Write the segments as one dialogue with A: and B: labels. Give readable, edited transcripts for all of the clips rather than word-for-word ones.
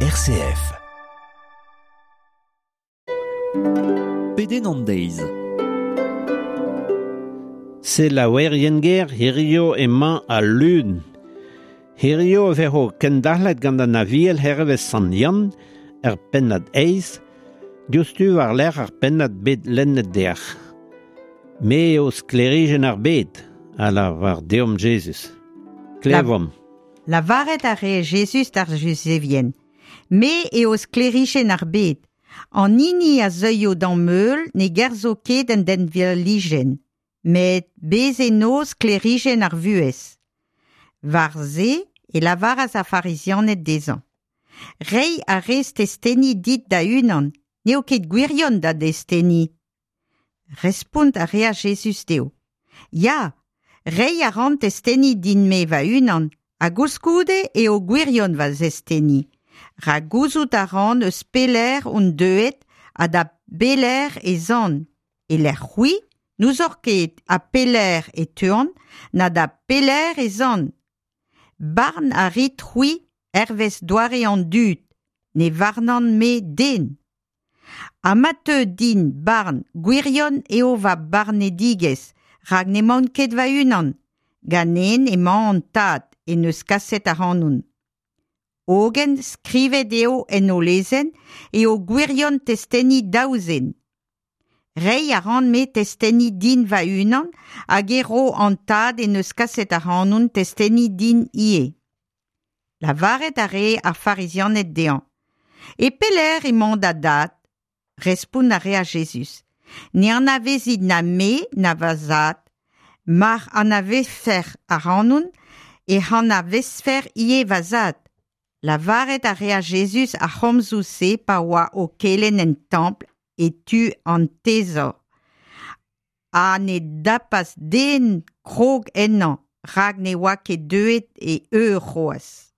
A: RCF.
B: Pedenn an deiz.
C: Selaouerien ger hirio emañ al lun. Hirio e vezo kendalc'het gant an Aviel hervez Sant Yann er pennad eizh, diouzhtu war-lerc'h ar pennad bet lennet deoc'h. Me eo sklêrijenn ar bed, a lavar deomp Jezuz. Klevomp.
D: Lavaret a rae Jezuz d'ar Juzevien. Me eo sklêrijenn ar bed. An hini a zeuio d'am heul ne gerzo ket en denvalijenn, met bez eno sklêrijenn ar vuhez. War se e lavaras ar Farizianed dezhañ. Reiñ a rez testeni dit da-unan, n'eo ket gwirion da desteni. Respont a reas Jezuz dezho. Ya, reiñ a ran testeni din-me va-unan, ha koulskoude eo gwirion va zesteni. Rak gouzout a ran eus pelec'h on deuet ha da belec'h ez an. E-lec'h c'hwi, n'ouzoc'h ket ha pelec'h e teuan, na da pelec'h ez an. Barn a rit c'hwi hervez doare an dud, ne varnan-me den. Ha ma teu din barn gwirion eo va barnedigezh, rak n'emaon ket va-unan. Ganen emañ an Tad en deus kaset ac'hanon. Hogen skrivet eo en ho lezenn eo gwirion testeni daou zen. Reiñ a ran-me testeni din va-unan hag e ro an Tad en deus kaset ac'hanon testeni din ivez. Lavaret a rae ar Farizianed dezhañ. E pelec'h emañ da dad? Respont a reas Jezuz. Ne anavezit na me na va zad. Mar anavezfec'h ac'hanon, ec'h anavezfec'h ivez va zad. Lavaret a reas Jezuz ar c'homzoù-se pa oa o kelenn en templ e tu an Tezor. Ha ne dapas den krog ennañ, rak ne oa ket deuet e eur c'hoazh.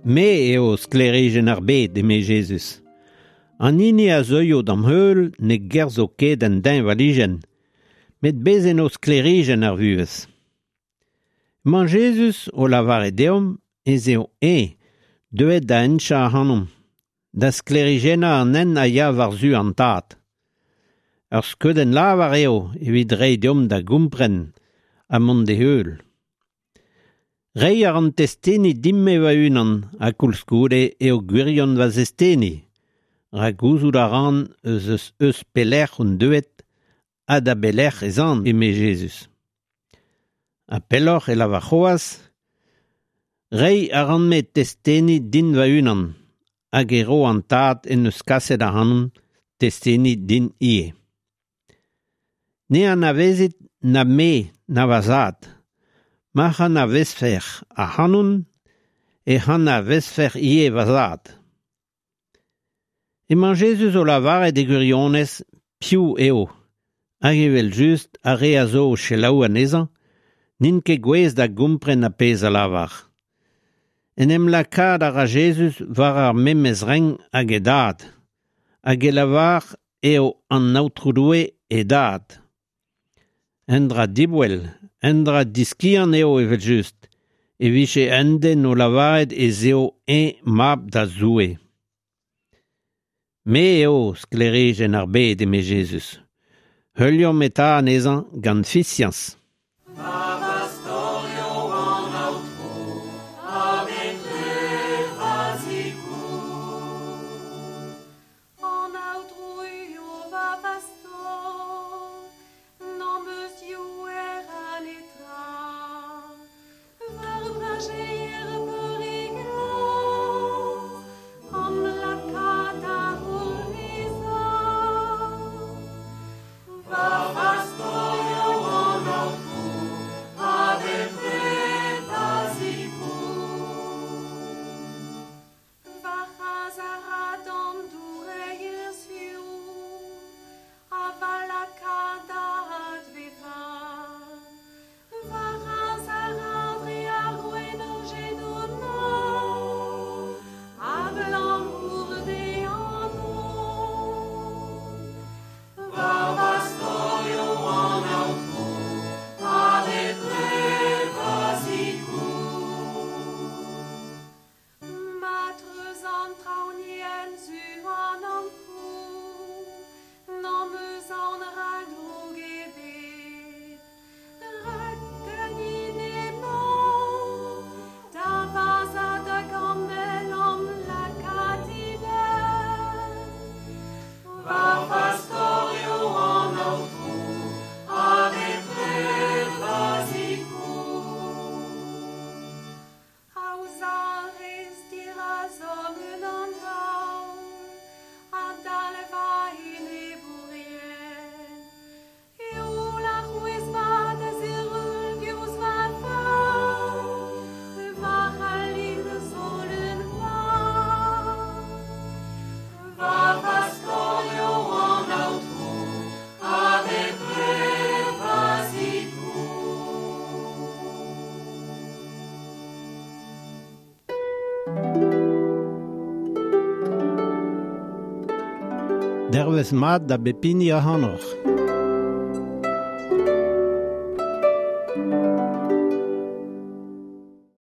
C: Me eo sklêrijenn ar bed, eme Jezuz. An hini a zeuio d'am heul ne gerzho ket en deñvalijenn, met bez eno sklêrijenn ar vuhez. Emañ Jezuz o lavaret deomp ez eo eñ deuet da henchañ ac'hanomp, da sklêrijennañ an hent a ya war-zu an Tad. Ur skeudenn lavar eo evit reiñ deomp da gompren ha mont d'e heul. Reiñ a ran testeni din-me va-unan ha koulskoude eo gwirion va zesteni, rak gouzout a ran eus eus eus pelec'h on deuet ha da belec'h ez an, eme Jezuz. Ha pelloc'h e lavar c'hoazh, Reiñ a ran-me testeni din va-unan, hag e ro an Tad en deus kaset ac'hanon testeni din ivez. Ne anavezit na me na va zad. Ma'c'h anavezfec'h ac'hanon, ec'h anavezfec'h ivez va zad. Emañ Jezuz o lavaret e gwirionez piv eo, hag evel-just ar re a zo o selaou anezhañ n'int ket gouest da gompren ar pezh a lavar. En em lakaat a ra Jezuz war ar memes renk hag e dad, hag e lavar eo an Aotrou Doue e dad. Un dra diboell, un dra diskiant eo evel-just, e vije un den o lavaret ez eo eñ mab da Zoue. Me eo sklêrijenn ar bed, eme Jezuz. Heuliomp eta anezhañ gant fiziañs.
E: An Aotrou eo va pastor, n'am eus diouer a netra. War brajeier beure glas, am laka da c'hourvezañ. Va pastor eo an Aotrou.
C: Dervez mat da bep hini ac'hanoc'h.